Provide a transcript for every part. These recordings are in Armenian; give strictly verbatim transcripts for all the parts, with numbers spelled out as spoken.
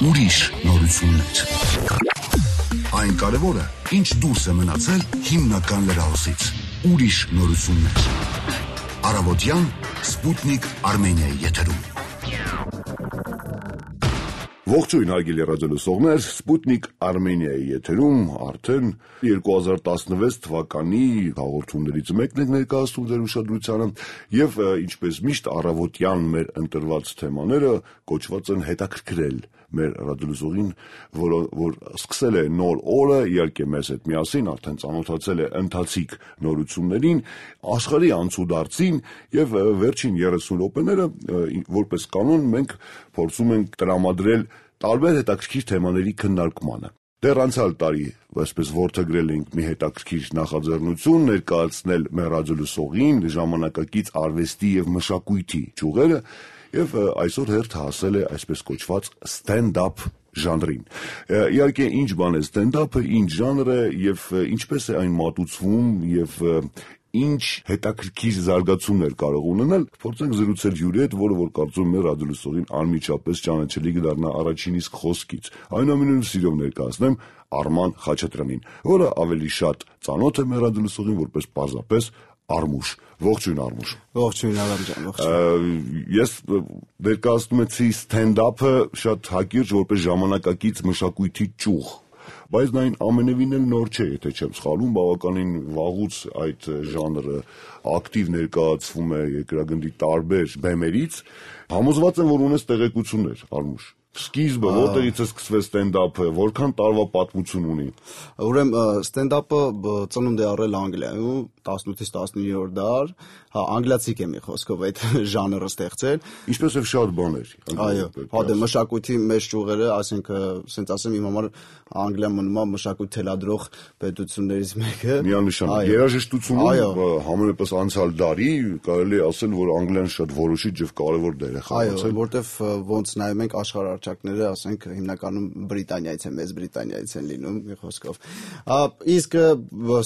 ուրիշ նորություններ։ Այն կարևորը, ինչ դուրս է մնացել հիմնական լրահոսից։ Ուրիշ նորություններ։ Առավոտյան Սպուտնիկ Արմենիայի եթերում։ Ողջույն հարգելի ռադիոլսողներ, Սպուտնիկ Արմենիայի եթերում արդեն երկու հազար տասնվեց թվականի հաղորդումներից մեկն է ներկայացնում ձեր ուշադրությանը եւ ինչպես միշտ առավոտյան մեր ընտրված թեմաները կոչված են հետաքրքրել մեր ռադիոլսողին, որ որ սկսել է նոր օրը, իհարկե մեզ հետ միասին արդեն ծանոթացել է ընթացիկ նորություններին, աշխարհի անցուդարձին եւ վերջին երեսուն րոպեները որպես կանոն մենք փորձում ենք տրամադրել տարբեր հետաքրքիր թեմաների քննարկմանը։ Դեռ անցյալ տարի, այսպես որդեգրել ենք մի հետաքրքիր նախաձեռնություն ներկայացնել մեր ռադիոլսողին ժամանակակից արվեստի եւ մշակույթի ճյուղերը եւ այսօր հերթ հասել է այսպես կոչված stand-up ժանրին։ Իհարկե ինչ բան է stand-up-ը, ինչ ժանր է եւ ինչպես է այն մատուցվում եւ ինչ հետաքրքիր զարգացումներ կարող ունենալ, փորձենք զրուցել հյուրի հետ, որը որ կարծում եմ ռադիոլսողին անմիջապես ճանաչելի կդառնա առաջին իսկ խոսքից։ Այնուամենայնիվ սիրով ներկայացնեմ Արման Խաչատրյանին, որը ավելի շատ ծանոթ է մեր ռադիոլսողին որպես պարզապես Արմուշ։ Ողջույն Արմուշ։ Ողջույն Արամ ջան, ողջույն։ Ես ներկայացնում եմ stand-up-ը շատ հակիրճ որպես ժամանակակից մշակույթի ճյուղ, բայց նա ամենևին էլ նոր չէ, եթե չեմ սխալվում, բավականին վաղուց այդ ժանրը ակտիվ ներկայացվում է երկրագնդի տարբեր բեմերից։ Համոզված եմ, որ ունես տեղեկություններ, Արմուշ։ Սկիզբը որտեղից է սկսվել stand-up-ը, որքան տարվա պատմություն ունի։ Ուրեմն stand-up-ը ծնունդ է առել Անգլիայում տասնութից տասնիններորդ դար, հա անգլիացիք է մի խոսքով այդ ժանրը ստեղծել։ Ինչպես եւ շատ բաներ։ Այո, հա դե մշակույթի մեջ ճյուղերը, ասենք, ասենց ասեմ, իմ համար Անգլիան մնում է մշակույթ թելադրող պետություններից մեկը։ Միանշանակ երաժշտությունում համենայնպես անցյալ դարի կարելի է ասել, որ Անգլիան շատ որոշիչ եւ կարեւոր դեր է խաղացել։ Այո, որտեվ ոնց նայում ենք աշխարհարչակները, ասենք, հիմնականում Բրիտանիայից են, Մեծ Բրիտանիայից են լինում, մի խոսքով։ Իսկ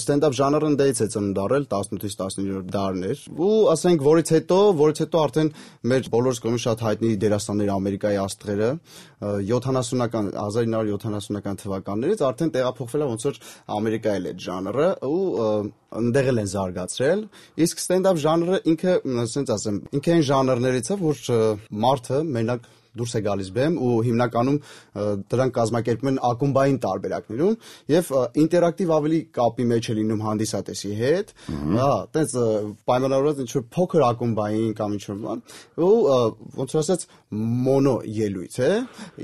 stand-up ժանրը դից է ծնունդ առել տասնութից տասնիններորդ դարներ, ու ասենք, որից հետո, որից հետո արդեն մեր բոլորս կողմից շատ հայտնի դերասաններ Ամերիկայի աստղերը յոթանասունական հազար ինը հարյուր յոթանասունական թվականներից արդեն տեղափոխվել է ոնց որ Ամերիկայել այդ ժանրը ու ընդեղ են զարգացրել, իսկ stand-up ժանրը ինքը, ասենց ասեմ, ինքը այն ժանրներից է, որ մարդը մենակ դուրս է գալիս բեմ ու հիմնականում դրանք կազմակերպում են ակումբային տարբերակներում եւ ինտերակտիվ ավելի կապի մեջ է լինում հանդիսատեսի հետ, հա, տենց պայմանավորված ինչ որ փոքր ակումբային կամ ինչ որ բան ու ոնց որ ասած մոնո ելույթ է,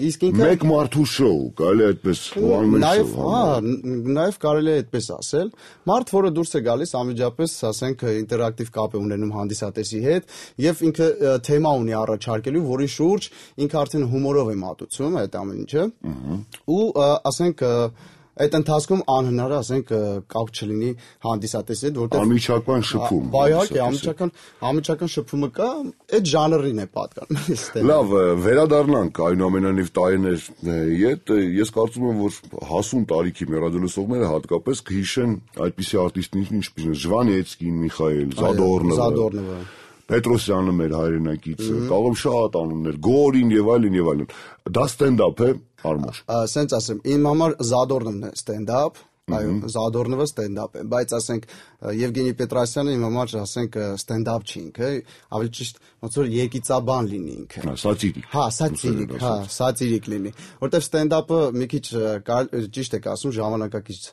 իսկ ինքը մեկ մարդու շոու, կարելի է այդպես նաեւ, հա, նաեւ կարելի է այդպես ասել, մարդ, որը դուրս է գալիս անմիջապես, ասենք, ինտերակտիվ կապ է ունենում հանդիսատեսի հետ եւ ինքը թեմա ունի առաջարկելու, որի շուրջ ինքը արդեն հումորով է մատուցում այդ ամեն ինչը ու ասենք այդ ընթացքում անհնար է ասենք կապ չլինի հանդիսատեսի հետ, որտեղ անմիջական շփում։ Բայակե անմիջական անմիջական շփումը կա, այդ ժանրին է պատկանում։ Լավ, վերադառնանք այնուամենայնիվ տարիներ իդ, ես կարծում եմ, որ հասուն տարիքի մեր ռադիոլսողները հատկապես կհիշեն այդպիսի արտիստներին, ինչպես Ժվանեցկին, Միխայել, Զադորնովը, Պետրոսյանը մեր հայրենակիցը, կարող շատ անուններ, Գորին եւ այլն եւ այլն։ Դա stand-up է, Արմուշ։ Ասենց ասեմ, իմ համար Զադորնովն է stand-up, այո, Զադորնովը stand-up է, բայց ասենք Եվգենի Պետրոսյանը իմ համար ասենք stand-up չի ինքը, ավելի ճիշտ ոնց որ երկիծաբան լինի ինքը։ Սատիրիկ։ Հա, սատիրիկ, հա, սատիրիկ լինի, որտեվ stand-up-ը մի քիչ ճիշտ եք ասում ժամանակակից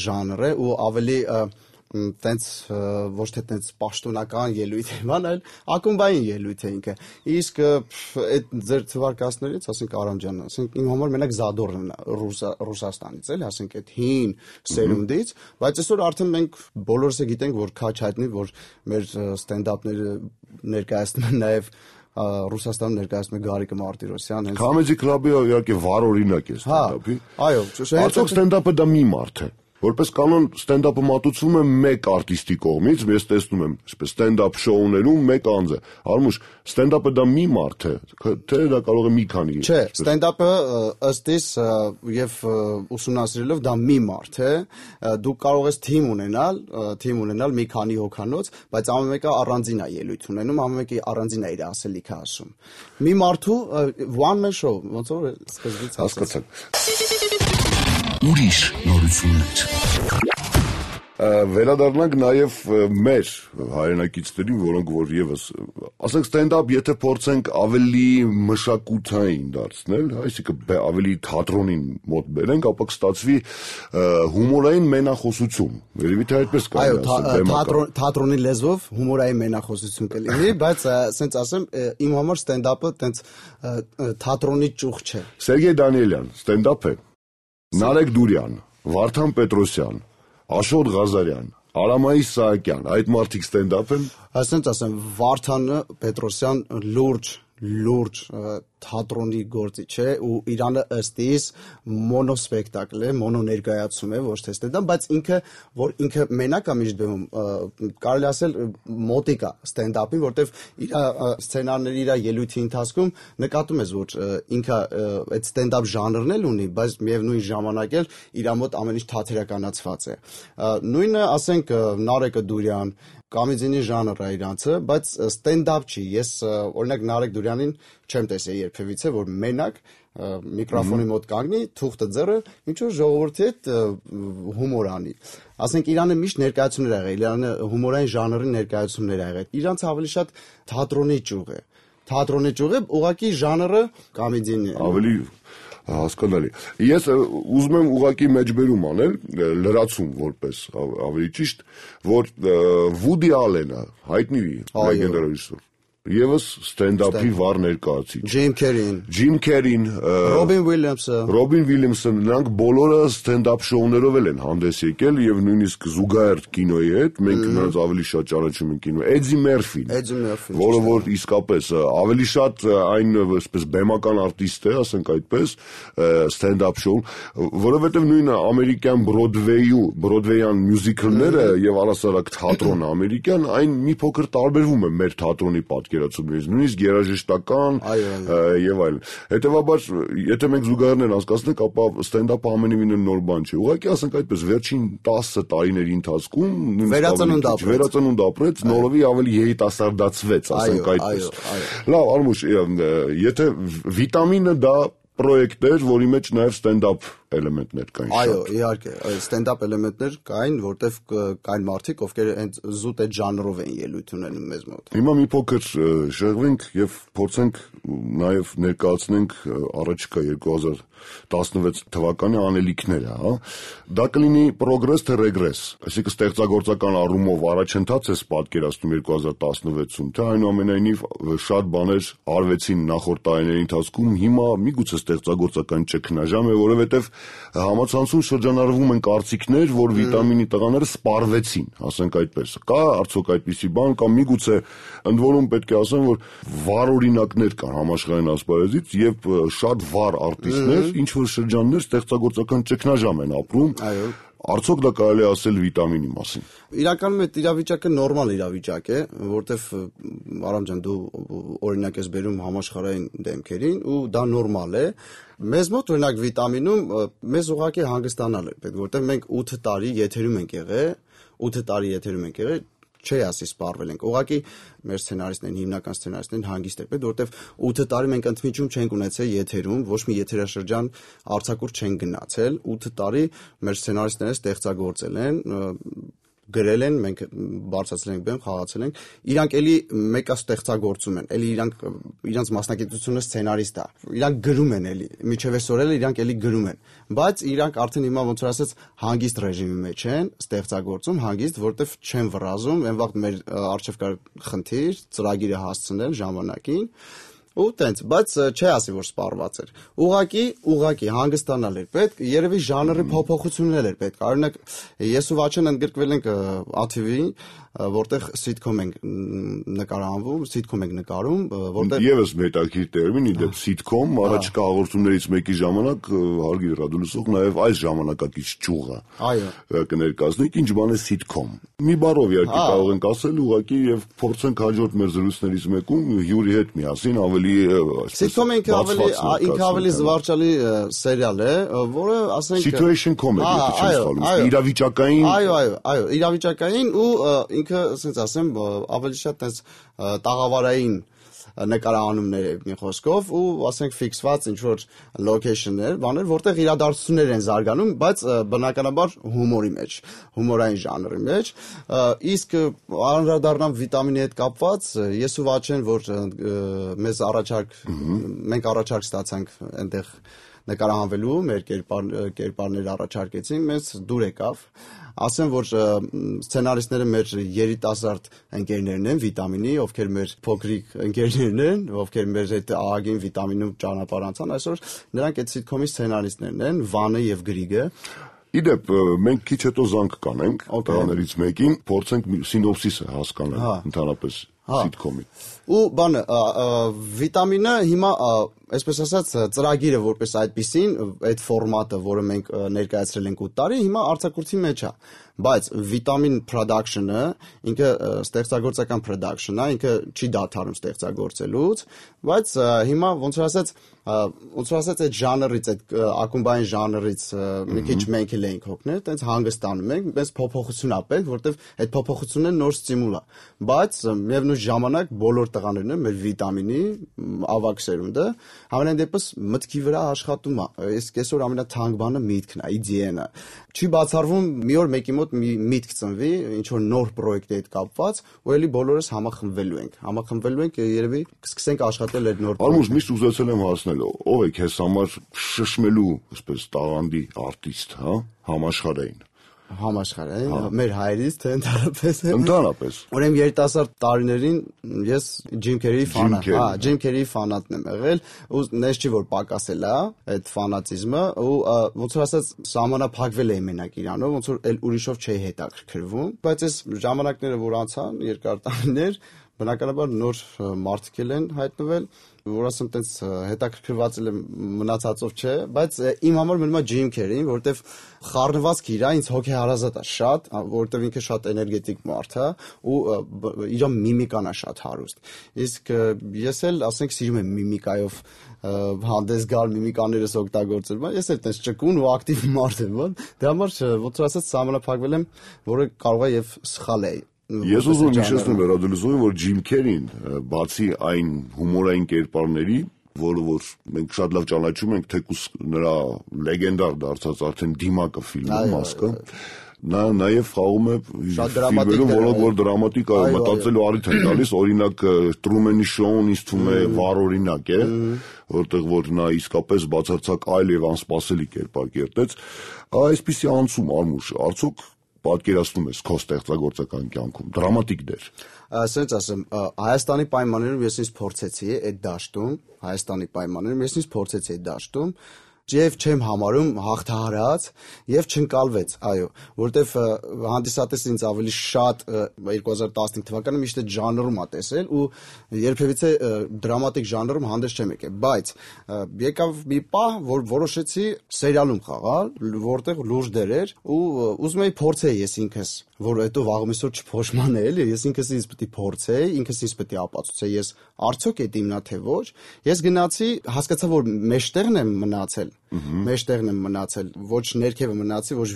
ժանր է ու ավելի տենց ոչ թե տենց պաշտոնական ելույթ է, այլ ակումբային ելույթ է ինքը։ Իսկ այդ ձեր թվարկածներից, ասենք Արամ ջան, ասենք իմ համար մենակ Զադորնն է Ռուսաստանից, էլի, ասենք այդ հին սերունդից, բայց այսօր արդեն մենք բոլորս է գիտենք, որ քաչ հայտնի, որ մեր stand-up-ները ներկայացնում են նաև Ռուսաստանում ներկայացնում է Գարիկը Մարտիրոսյան։ Comedy Club-ը իհարկե վառ օրինակ է stand-up-ի։ Այո, արդյոք stand-up-ը դա մի մարդ է։ Որպես կանոն ստենդափը մատուցվում է մեկ արտիստի կողմից, ես տեսնում եմ, այսպես ստենդափ շոուներում մեկ անձ է։ Արմուշ, ստենդափը դա մի մարդ է, թե դա կարող է մի քանի։ Չէ, ստենդափը ըստ իս եւ ուսումնասիրելով դա մի մարդ է, դու կարող ես թիմ ունենալ, թիմ ունենալ մի քանի հոգանոց, բայց ամեն մեկը առանձին է ելույթ ունենում, ամեն մեկը առանձին է իր ասելիքը ասում։ Մի մարդու one man show, ոնց որ սկզբից հասկացանք։ Ուրիշ նորություններ։ Վերադառնանք նաև մեր հայրենակիցներին, որոնք որ եւս, ասենք ստենդափ, եթե փորձենք ավելի մշակութային դարձնել, այսինքն ավելի թատրոնին մոտ բերենք, ապա կստացվի հումորային մենախոսություն։ Երևի թե այդպես կարելի ասել։ Այո, թատրոնի լեզվով հումորային մենախոսություն կլինի, բայց ասենց ասեմ, իմ համար ստենդափը տենց թատրոնի ճյուղ չէ։ Սերգեյ Դանիելյան, ստենդափ է։ Նարեկ Դուրյան, Վարդան Պետրոսյան, Աշոտ Ղազարյան, Արամայիս Սահակյան, այդ մարդիկ ստենդափ են։ Ասենց ասեմ, Վարդանը Պետրոսյան լուրջ լուրջ թատրոնի գործի չէ ու Իրանը ըստ իս մոնոսպեկտակլ է, մոնո ներկայացում է, ոչ թե ստենդափ, բայց ինքը որ ինքը մենակ է միշտ բեմում, կարելի ասել մոտիկ է ստենդափին, որտեվ իր սցենարների իր ելույթի ընթացքում նկատում ես, որ ինքը այդ ստենդափ ժանրն էլ ունի, բայց միևնույն ժամանակ էլ իր մոտ ամեն ինչ թատերականացված է։ Նույնը ասենք Նարեկը Դուրյան Կոմեդիանի ժանրը է իրանցը, բայց ստենդափ չի։ Ես օրինակ Նարեկ Դուրյանին չեմ տեսել երբևիցե, որ մենակ միկրոֆոնի մոտ կանգնի, թուղթը ձեռը, ինչ որ ժողովրդի հետ հումոր անի։ Ասենք Իրանը միշտ ներկայացումներ ա եղել, Իրանը հումորային ժանրի ներկայացումներ ա եղել։ Իրանց ավելի շատ թատրոնի ճյուղ է։ Թատրոնի ճյուղ է, ուղղակի ժանրը կոմեդիան է։ Ավելի հասկանալի։ Ես ուզում եմ ուղղակի մեջբերում անել, լրացում որպես ավելի ճիշտ, որ Վուդի Ալենը հայտնի լեգենդար ռեժիսոր, Եվս ստենդափի վառ ներկայացիչ։ Ջիմ Քերին, Ջիմ Քերին, Ռոբին Ուիլյամսը, Ռոբին Ուիլյամսը, նրանք բոլորը ստենդափ շոուներով են հանդես եկել եւ նույնիսկ զուգահեռ կինոյի հետ, մենք նրանց ավելի շատ ճանաչում ենք կինո։ Էդի Մերֆին, Էդի Մերֆին, որը որ իսկապես ավելի շատ այն այսպես բեմական արտիստ է, ասենք այդպես, ստենդափ շոու, որովհետեւ նույնը ամերիկյան Բրոդվեյու, Բրոդվեյան մյուզիկլները եւ առասարակ թատրոնը ամերիկյան, այն մի փոքր տարբերվում է մեր թատրոնի պատկերացումներից, նույնիսկ երաժշտական եւ այլն։ Հետեւաբար, եթե մենք զուգահեռներ անցկացնենք, ապա ստենդափը ամենևին նոր բան չէ։ Ուղղակի ասենք այդպես, վերջին տասը տարիների ընթացքում վերածնունդ ապրեց, նորովի ավելի երիտասարդացվեց, ասենք այդպես։ Լավ, Արմուշ, եթե վիտամինը դա պրոյեկտ էր, որի մեջ նաև ստենդափ էլեմենտներ կային։ Այո, իհարկե, ստենդափ էլեմենտներ կային, որտեղ կային մարդիկ, ովքեր հենց զուտ այդ ժանրով են ելույթ ունենում մեզ մոտ։ Հիմա մի փոքր շեղվենք եւ փորձենք նաև ներկայացնենք առաջիկա երկու հազար տասնվեց թվականի անելիքները, հա։ Դա կլինի պրոգրես թե ռեգրես, այսինքն ստեղծագործական առումով առաջընթաց է պատկերացնում երկու հազար տասնվեցում, թե այնուամենայնիվ շատ բաներ արվեցին նախորդ տարիների ընթացքում, հիմա միգուցե ստեղծագործական ճգնաժամ է, որովհետեւ համացանցում շրջանառվում են կարծիքներ, որ վիտամինի տղաները սպառվեցին, ասենք այդպես։ Կա արդյոք այդպիսի բան, կամ միգուցե ընդ որում պետք է ասեմ, որ վառ օրինակներ կան համաշխարհային ասպարեզից եւ շատ վառ արտիստներ, ինչ որ շրջաններ ստեղծագործական ճգնաժամ են ապրում։ Այո։ Արդյոք դա կարելի ասել վիտամինի մասին։ Իրականում այդ իրավիճակը նորմալ իրավիճակ է, որտեվ Արամ ջան, դու օրինակ ես բերում համաշխարհային դեմքերին ու դա նորմալ է։ Մեզ մոտ օրինակ վիտամինում մեզ ուղղակի հանգստանալ է պետք, որտեվ մենք ութ տարի եթերում ենք եղել, ութ տարի եթերում ենք եղել, չի ասի սպառվել ենք։ Ուղղակի մեր սցենարիստներն, հիմնական սցենարիստներն հանգիստ են պետք, որտեվ ութ տարի մենք ընդմիջում չենք ունեցել եթերում, ոչ մի եթերաշրջան արձակուրդ չենք գնացել, ութ տարի մեր սցենարիստները ստեղծագործել են, գրել են, մենք բարձրացել ենք բեմ, խաղացել ենք, իրանք էլի մեկը ստեղծագործում են, էլի իրանք իրանց մասնագիտությունը սցենարիստ է, իրանք գրում են էլի, միջև այսօր էլ իրանք էլի գրում են, բայց իրանք արդեն հիմա ոնց որ ասած հանգիստ ռեժիմի մեջ են, ստեղծագործում հանգիստ, որտեվ չեն վռազում, այն վաղ մեր արժև կար խնդիր, ծրագիրը հասցնել ժամանակին ու տենց, բայց չի ասի, որ սպառված էր։ Ուղղակի, ուղղակի հանգստանալ էր պետք, երևի ժանրի փոփոխություններ էր պետք։ Օրինակ, ես ու Վաչեն ընդգրկվել ենք ա թի վի, որտեղ sitcom ենք նկարահանվում, sitcom ենք նկարում, որտեղ Եվս մետաքրիր տերմին, իդեպ sitcom, առաջկա հաղորդումներից մեկի ժամանակ հարգելի ռադիոլսող նաև այս ժամանակակից ճյուղը կներկայացնենք, ինչ բան է sitcom։ Մի բառով իհարկե կարող ենք ասել, ուղղակի եւ փորձենք հաջորդ մեր զրույցներից մեկում հյուրի հետ միասին ավելի sitcom-ը ինքը ավելի ինքը ավելի զվարճալի սերիալ է, որը ասենք situation comedy է, չէ՞ սխալվում, իրավիճակային Այո, այո, այո, իրավիճակային ու ինքը, ասենց ասեմ, ավելի շատ այս տաղավարային նկարահանումներ է մի խոսքով ու ասենք ֆիքսված ինչ որ location-ներ, բաներ, որտեղ իրադարձություններ են զարգանում, բայց բնականաբար հումորի մեջ, հումորային ժանրի մեջ, իսկ անդրադառնամ վիտամինի հետ կապված, ես ու Վաչեն, որ մեզ առաջարկ մենք առաջարկ ստացանք այնտեղ նկարահանվելու, մեր կերպար, կերպարներ առաջարկեցին, մեզ դուր եկավ, ասեմ, որ սցենարիստները մեր երիտասարդ ընկերներն են վիտամինի, ովքեր մեր փոքրիկ ընկերներն են, ովքեր մեր հետ ահագին վիտամինում ճանապարհ անցան, այսօր նրանք այդ sitcom-ի սցենարիստներն են, Վանը եւ Գրիգը։ Իդեպ մենք քիչ հետո զանգ կանենք տղաներից մեկին, փորձենք սինոպսիսը հասկանալ ընդհանրապես sitcom-ի։ Ու բանը վիտամինը հիմա այսպես ասած ծրագիրը որպես այդպեսին այդ ֆորմատը, որը մենք ներկայացրել ենք ութ տարի, հիմա արձակուրդի մեջ է, բայց վիտամին production-ը ինքը ստեղծագործական production-ը, ինքը չի դադարում ստեղծագործելուց, բայց հիմա ոնց որ ասած ոնց որ ասած այդ ժանրից, այդ ակումբային ժանրից մի քիչ մենք էլ ենք հոգնել, տենց հանգստանում ենք, մենք փոփոխություն ապենք, որտեվ այդ փոփոխությունը նոր ստիմուլ է, բայց միևնույն ժամանակ բոլոր տղաներն են մեր վիտամինի ավագ սերունդը Համենայն դեպս մտքի վրա աշխատում է, իսկ այսօր ամենաթանկ բանը միտքն է, իդեան է։ Չի բացառվում մի օր մեկի մոտ մի միտք ծնվի, ինչ որ նոր պրոյեկտի հետ կապված, ու էլի բոլորս համախմբվելու ենք։ Համախմբվելու ենք երևի կսկսենք աշխատել այդ նոր պրոյեկտը։ Արմուզ միշտ ուզեցել եմ հասնել, ով է քեզ համար շշմելու, այսպես տաղանդի արտիստ, հա, համաշխարհային։ Համաշխարհային, մեր հայրից թե ընդհանրապես։ Ընդհանրապես։ Ուրեմն երիտասարդ տարիներին ես Ջիմ Քերիի ֆանատ, հա, Ջիմ Քերիի ֆանատն եմ եղել, ու նես չի որ պակասել է այդ ֆանատիզմը, ու ոնց որ ասած սահմանափակվել էի մենակ իրանով, ոնց որ էլ ուրիշով չէի հետաքրքրվում, բայց այս ժամանակները որ անցան, երկար տարիներ, բնականաբար նոր մարդիկ են հայտնվել, որ ասեմ տենց հետաքրքրված եմ մնացածով չէ, բայց իմ համար մնում է Ջիմ Քերին, որովհետև խառնվածքը իր ինձ հոգեհարազատ է շատ, որովհետև ինքը շատ էներգետիկ մարդ է ու իր միմիկան է շատ հարուստ։ Իսկ ես էլ ասենք սիրում եմ միմիկայով հանդես գալ, միմիկաներս օգտագործել, բայց ես էլ տենց ճկուն ու ակտիվ մարդ եմ, դրա համար ոնց որ ասած սահմանափակվել եմ, որը կարող է եւ սխալ է։ Ես ուզում եմ հիշեցնել վերադելուզովին, որ Ջիմ Քերին, բացի այն հումորային կերպարների, որը որ մենք շատ լավ ճանաչում ենք, թեկուզ նրա լեգենդար դարձած արդեն Դիմակը ֆիլմը մասկը, նա նաև խաղում է ֆիլմերում, որոնք որ դրամատիկ է, մտածելու առիթ են տալիս, օրինակ Տրումենի շոուն ինձ թվում է վառ օրինակ է, որտեղ որ նա իսկապես բացարձակ այլ եւ անսպասելի կերպար կերտեց, այսպիսի անցում Արմուշ, արդյոք պատկերացնում ես քո ստեղծագործական կյանքում դրամատիկ դեր։ Ասենց ասեմ, Հայաստանի պայմաններում ես ինձ փորձեցի այդ դաշտում, Հայաստանի պայմաններում ես ինձ փորձեցի այդ դաշտում, Եվ չեմ համարում հաղթահարած եւ չընկալվեց, այո, որտեվ հանդիսատեսը ինձ ավելի շատ երկու հազար տասնհինգ թվականը միշտ այդ ժանրում ա տեսել ու երբևիցե դրամատիկ ժանրում հանդես չեմ եկել, բայց եկավ մի պահ, որ որոշեցի սերիալում խաղալ, որտեղ լուրջ դեր էր ու ուզում էի փորձեի ես ինքս, որ հետո վաղ միսօր չփոշմանե էլի, ես ինքս ինձ պետք է փորձեի, ինքս ինձ պետք է ապացուցեի, ես արդյոք այդ իմնա թե ոչ, ես գնացի, հասկացա, որ մեջտեղն եմ մնացել մեջտեղն եմ մնացել, ոչ ներքևը մնացի, ոչ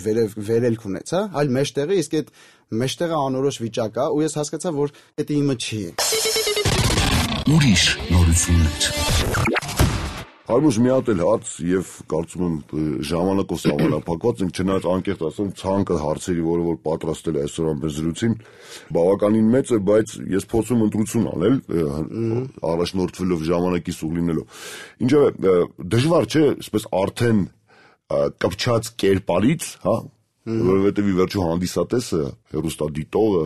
վերելք ունեցա, այլ մեջտեղը, իսկ այդ մեջտեղը անորոշ վիճակ է, ու ես հասկացա, որ դա իմը չի։ Ուրիշ նորություններ։ Արմուշ մի հատ էլ հարց եւ կարծում եմ ժամանակով սահմանափակված ենք, չնայած անկեղծ ասեմ, ցանկը հարցերի, որը որ պատրաստել է այսօր ամեն զրույցին, բավականին մեծ է, բայց ես փորձում ընտրություն անել, առաջնորդվելով ժամանակի սուղ լինելով։ Ինչևէ, դժվար չէ, այսպես արդեն կպչած կերպարից, հա, որովհետեւ ի վերջո հանդիսատեսը, հեռուստադիտողը,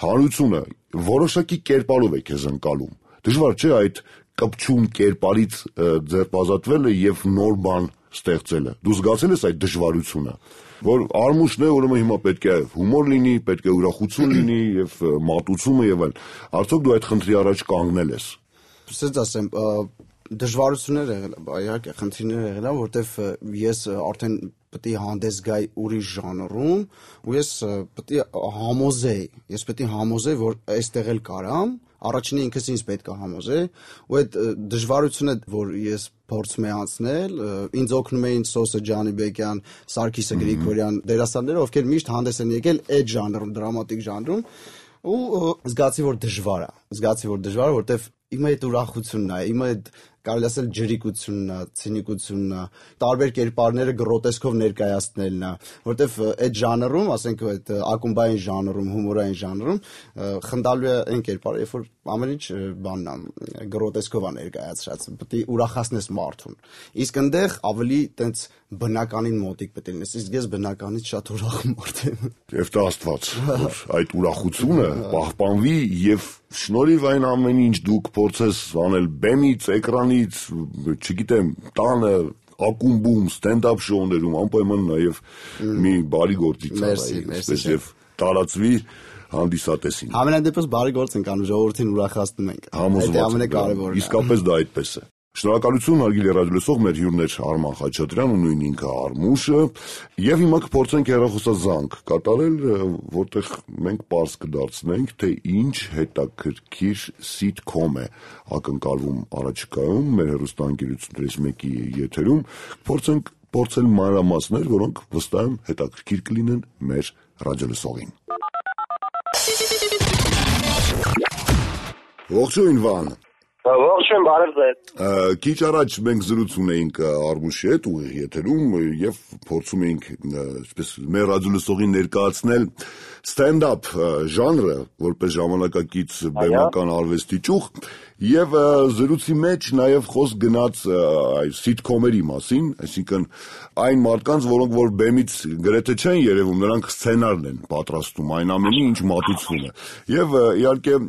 հանրությունը որոշակի կերպարով է քեզ ընկալում։ Դժվար չէ այդ կպչուն կերպարից ձերբազատվելը եւ նոր բան ստեղծելը։ Դու զգացել ես այդ դժվարությունը, որ արմուշն է, ուրեմն հիմա պետք է հումոր լինի, պետք է ուրախություն լինի եւ մատուցումը եւ այլն։ Արդյոք դու այդ խնդրի առաջ կանգնել ես։ Սենց ասեմ, դժվարություններ եղել, իհարկե խնդիրներ եղել, որովհետեւ ես արդեն պետք է հանդես գայի ուրիշ ժանրում, ու ես պետք է համոզեի, ես պետք է համոզեի, որ այստեղ էլ կարամ, առաջինը ինքս ինձ պետք է համոզեի, ու այդ դժվարությունը, որ ես փորձում եմ անցնել, ինձ օգնում էին Սոսը Ջանիբեկյան, Սարգիսը Գրիգորյան դերասանները, ովքեր միշտ հանդես են եկել այդ ժանրում, դրամատիկ ժանրում, ու զգացի, որ դժվար է, զգացի, որ դժվար է, որովհետև իմ այդ ուրախությունն է, իմ այդ կարելի ասել ջրիկությունն է, ցինիկությունն է, տարբեր կերպարները գրոտեսկով ներկայացնելն է, որովհետև այդ ժանրում, ասենք այդ ակումբային ժանրում, հումորային ժանրում խնդալու է այն կերպարը, երբ որ ամեն ինչ բանն է, գրոտեսկով է ներկայացրած, պետք է ուրախացնես մարդուն։ Իսկ այնտեղ ավելի տենց բնականին մոտիկ պետք է լինես, իսկ ես բնականից շատ ուրախ մարդ եմ։ Եվ տա Աստված, որ այդ ուրախությունը պահպանվի եւ շնորհիվ այն ամեն ինչ դուք փորձես անել բեմից, էկրանից, չգիտեմ, տանը, ակումբում, ստենդափ շոուներում, անպայման նաեւ մի բարի գործի ծառայի, այսպես եւ տարածվի հանդիսատեսին։ Ամենայն դեպս բարի գործ ենք անում, ժողովրդին ուրախացնում ենք։ Դա ամենակարևորն է։ Իսկապես դա այդպես է։ Շնորհակալություն հարգելի ռադիոլսող, մեր հյուրն էր Արման Խաչատրյանը, նույն ինքը Արմուշը, եւ հիմա կփորձենք հեռախոսազանգ կատարել, որտեղ մենք պարզ կդարձնենք, թե ինչ հետաքրքիր սիթքոմ է ակնկալվում առաջիկայում մեր հեռուստաընկերություններից մեկի եթերում, փորձենք փորձել մանրամասներ, որոնք վստահ եմ հետաքրքիր կլինեն մեր ռադիոլսողին։ Ողջույն Վան։ Ողջույն, բարև ձեզ։ Քիչ առաջ մենք զրույց ունեինք Արմուշի հետ ուղիղ եթերում եւ փորձում էինք այսպես մեր ռադիոլսողին ներկայացնել ստենդափ ժանրը որպես ժամանակակից բեմական արվեստի ճյուղ եւ զրույցի մեջ նաեւ խոսք գնաց այս սիթքոմերի մասին, այսինքն այն մարդկանց, որոնք որ բեմից գրեթե չեն երևում, նրանք սցենարն են պատրաստում, այն ամենի ինչ մատուցվում է։ Եվ իհարկե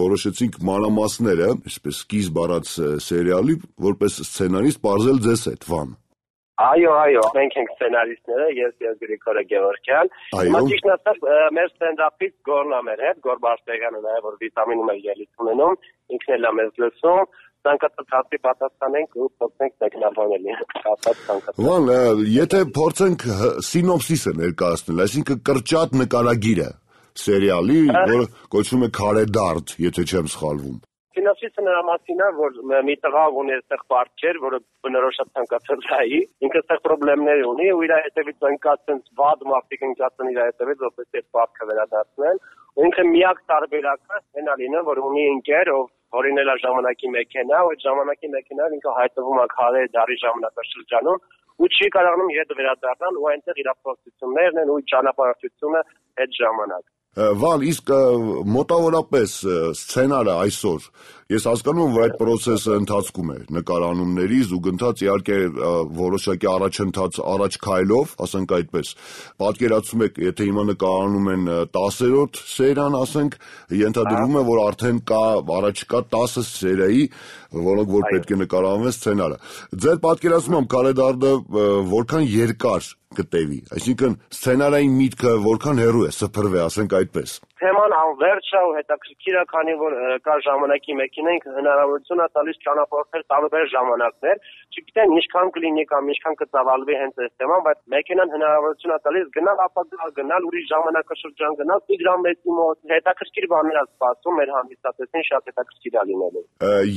որոշեցինք մանրամասները, այսպես սկիզբ առած սերիալի, որպես սցենարիստ բարձել ձեզ հետ, Վան։ Այո, այո, մենք ենք սցենարիստները, ես եւ Գրիգորը Գևորգյան։ Հիմա ճիշտ ասած, մեր ստենդափից Գորն է մեր հետ, Գոր Բարսեղյանը նաեւ որ վիտամինում է ելույթ ունենում, ինքն էլ է մեզ լսում, ցանկացած հարցի պատասխանենք ու փորձենք մեկնաբանել։ Կապած ցանկացած։ Վան, եթե փորձենք սինոպսիսը ներկայացնել, այսինքն կրճատ նկարագիրը սերիալի, որը կոչվում է Քարե դարդ, եթե չեմ սխալվում։ Սինոպսիսը նրա մասին է, որ մի տղա ունի այստեղ պարտքեր, որը բնորոշ ցանկացած հայի, ինքը այստեղ խնդիրներ ունի ու իր հետևից ընկած այնց վատ մարդիկ ընկած են իր հետևից, որպես այդ պարտքը վերադարձնել, ու ինքը միակ տարբերակը հենա լինը, որ ունի ընկեր, ով հորինել է ժամանակի մեքենա, ու այդ ժամանակի մեքենան ինքը հայտնվում է Քարե դարի ժամանակաշրջանում ու չի կարողանում հետ վերադառնալ ու այնտեղ իր փորձություններն են ու ճանապարհորդությունը այդ ժամանակ։ Վան, իսկ մոտավորապես սցենարը այսօր, ես հասկանում եմ, որ այդ process-ը ընթացքում է նկարանումներից ու գնաց իհարկե որոշակի առաջընթաց առաջ քայլով, ասենք այդպես։ Պատկերացնում եք, եթե հիմա նկարանում են տասերորդ սերիան, ասենք, ենթադրվում է, որ արդեն կա առաջիկա տասը սերիայի, որոնք որ պետք է նկարանվեն սցենարը։ Ձեր պատկերացմամբ Քարե դարդը որքան երկար կտևի, այսինքն սցենարային միտքը որքան հեռու է սփռվի, ասենք այդպես։ Թեման անվերջ է ու հետաքրքիր է, քանի որ կա ժամանակի մեքենա, ինքը հնարավորություն է տալիս ճանապարհորդել տարբեր ժամանակներ, չգիտեմ ինչքան կլինի կամ ինչքան կծավալվի հենց այս թեման, բայց մեքենան հնարավորություն է տալիս գնալ ապագա, գնալ ուրիշ ժամանակաշրջան, գնալ Տիգրան մոտ, հետաքրքիր բաներ է սպասում մեր հանդիսատեսին, շատ հետաքրքիր է լինելու։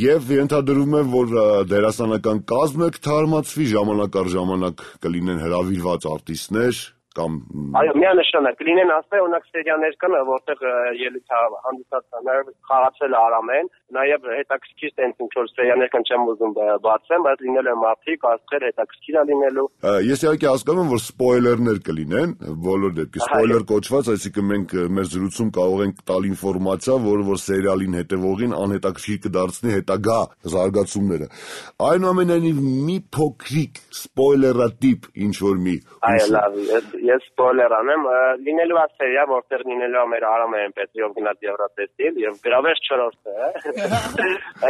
Եվ ենթադրվում է, որ դերասանական կազմը կթարմացվի, ժամանակ առ ժամանակ կլինեն հրավիրված արտիստներ կամ այո, միանշանակ կլինեն ասել, օրինակ սերիաներ կան, որտեղ ելույթ հանդիսատեսներ խաղացել Արամեն, նաև հետաքրքիր տենց ինչ-որ սերիաներ կան, չեմ ուզում բացեմ, բայց լինել է մարդիկ, աստղեր, հետաքրքիր է լինելու։ Ես իհարկե հասկանում եմ, որ սպոյլերներ կլինեն, բոլոր դեպքի սպոյլեր կոչված, այսինքն մենք մեր զրույցում կարող ենք տալ ինֆորմացիա, որը որ սերիալին հետևողին անհետաքրքիր կդարձնի հետագա զարգացումները։ Այնուամենայնիվ մի փոքրիկ սպոյլերատիպ ինչ-որ մի։ Այո, լավ, ես սպոյլեր անեմ, լինելու է սերիա, որտեղ լինելու է մեր Արամեն Պետրիով գնաց Եվրատեսիլ եւ գրավես չորրորդը,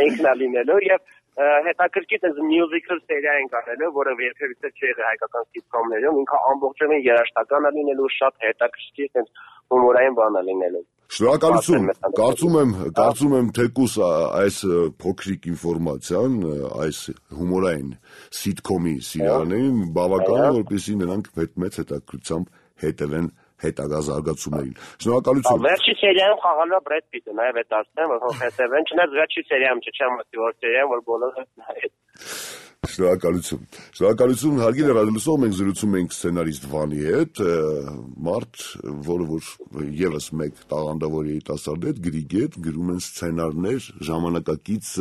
ինքն է լինելու եւ հետաքրքիր այս musical սերիա ենք արել, որը երբևիցե չի եղել հայկական սիթկոմներում, ինքը ամբողջովին երաժշտական է լինելու, շատ հետաքրքիր այս հումորային բան է լինելու։ Շնորհակալություն։ Կարծում եմ, կարծում եմ թեկուս այս փոքրիկ ինֆորմացիան, այս հումորային սիթկոմի սիրահարներին բավական է, որպեսզի նրանք մեծ հետաքրքրությամբ հետևեն հետագա զարգացումներին։ Շնորհակալություն։ Վերջի սերիայում խաղալու է Բրեդ Պիտը, նաև այդ ասեմ, որ հետևեն, չնայած վերջի սերիայում չեմ ասի, որ սերիայում որ բոլորը նայեն։ Շնորհակալություն։ Շնորհակալություն, հարգելի ռադիոլսող, մենք զրուցում ենք սցենարիստ Վանի հետ, մարդ, որը որ եւս մեկ տաղանդավոր երիտասարդ է, գրիգետ, գրում են սցենարներ ժամանակակից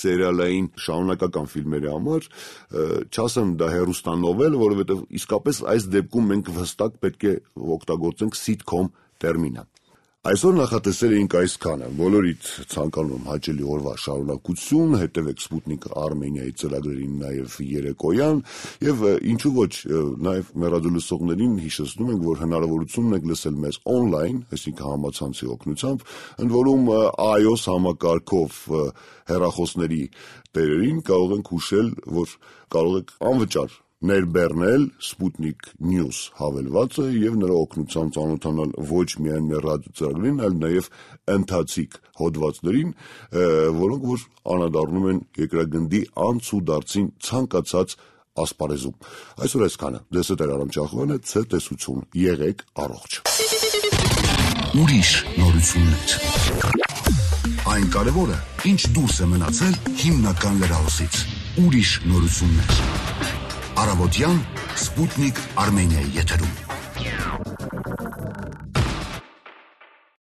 սերիալային շարունակական ֆիլմերի համար, չասեմ դա հեռուստանովել, որովհետեւ իսկապես այս դեպքում մենք հստակ պետք է օգտագործենք սիթկոմ տերմինը։ Այսօր նախատեսել էինք այսքանը, բոլորիդ ցանկանում եմ հաճելի օրվա շարունակություն, հետևեք Sputnik Armenia-ի ծրագրերին նաև երեկոյան եւ ինչու ոչ նաև մեր ռադիոլսողներին հիշեցնում ենք, որ հնարավորություն ունեք լսել մեզ on-line, այսինքն համացանցի օգնությամբ, ընդ որում iOS համակարգով հեռախոսների տերերին կարող ենք հուշել, որ կարող եք անվճար ներբեռնել Sputnik News հավելվածը եւ նրա օգնությամբ ծանոթանալ ոչ միայն մեր ռադիոծրագրին, այլ նաեւ ընթացիկ հոդվածներին, որոնք որ անդրադառնում են երկրագնդի անցուդարձին ցանկացած ասպարեզում։ Այսօր այսքանը։ Դες է Արամ Ճախովյանը, ցե տեսություն, եղեք առողջ։ Ուրիշ նորություններ։ Այն կարևորը, ինչ դուրս է մնացել հիմնական լրահոսից։ Ուրիշ նորություններ։ Առավոտյան Sputnik Armenia-ի եթերում։